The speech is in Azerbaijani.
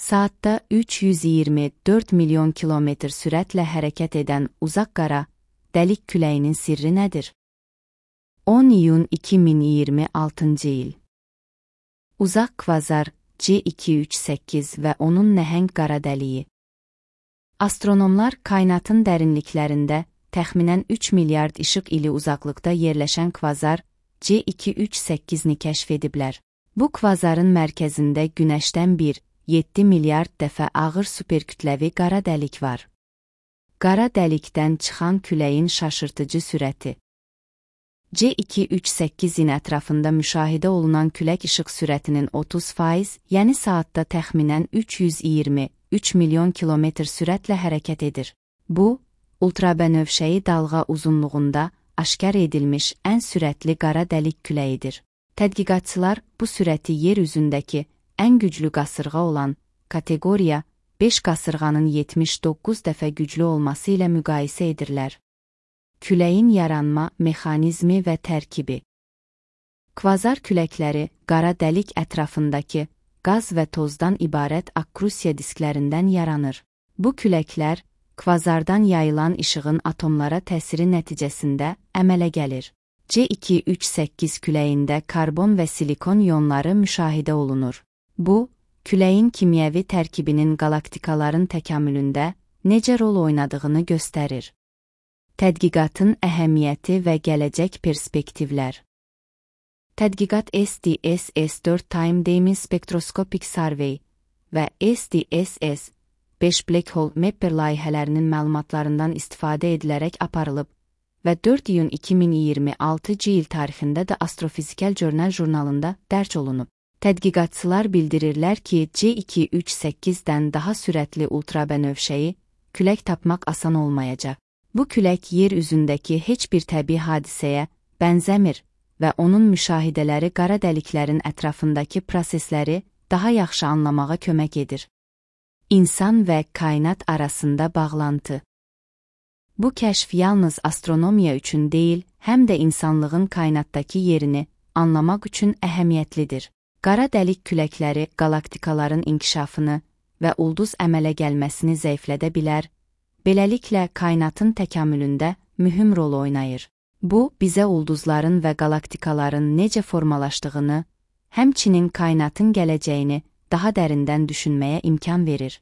saatda 324 milyon kilometr sürətlə hərəkət edən uzaq qara dəlik küləyinin sirri nədir? 10 iyun 2026 il. Uzaq kvazar C238 və onun nəhəng qara dəliyi. Astronomlar kainatın dərinliklərində təxminən 3 milyard işıq ili uzaqlıqda yerləşən kvazar C238-ni kəşf ediblər. Bu kvazarın mərkəzində Günəşdən 7 milyard dəfə ağır superkütləvi qara dəlik var. Qara dəlikdən çıxan küləyin şaşırtıcı sürəti. C238-in ətrafında müşahidə olunan külək işıq sürətinin 30%, yəni saatda təxminən 323 milyon kilometr sürətlə hərəkət edir. Bu, ultrabənövşəyi dalğa uzunluğunda aşkar edilmiş ən sürətli qara dəlik küləyidir. Tədqiqatçılar bu sürəti yer üzündəki ən güclü qasırğa olan kateqoriya 5 qasırğanın 79 dəfə güclü olması ilə müqayisə edirlər. Küləyin yaranma mexanizmi və tərkibi. Kvazar küləkləri qara dəlik ətrafındakı qaz və tozdan ibarət akkrusiya disklərindən yaranır. Bu küləklər kvazardan yayılan işığın atomlara təsiri nəticəsində əmələ gəlir. C238 küləyində karbon və silikon ionları müşahidə olunur. Bu, küləyin kimyəvi tərkibinin qalaktikaların təkamülündə necə rol oynadığını göstərir. Tədqiqatın əhəmiyyəti və gələcək perspektivlər. Tədqiqat SDSS-4 Time Dimming Spectroscopic Survey və SDSS-5 Black Hole Mapper layihələrinin məlumatlarından istifadə edilərək aparılıb və 4 iyun 2026 il tarixində də Astrofizikal Journal jurnalında dərc olunub. Tədqiqatçılar bildirirlər ki, C238-dən daha sürətli ultrabənövşəyi külək tapmaq asan olmayacaq. Bu külək yer üzündəki heç bir təbii hadisəyə bənzəmir və onun müşahidələri qara dəliklərin ətrafındakı prosesləri daha yaxşı anlamağa kömək edir. İnsan və kainat arasında bağlantı. Bu kəşf yalnız astronomiya üçün deyil, həm də insanlığın kainatdakı yerini anlamaq üçün əhəmiyyətlidir. Qara dəlik küləkləri qalaktikaların inkişafını və ulduz əmələ gəlməsini zəiflədə bilər, beləliklə kainatın təkamülündə mühüm rol oynayır. Bu, bizə ulduzların və qalaktikaların necə formalaşdığını, həmçinin kainatın gələcəyini daha dərindən düşünməyə imkan verir.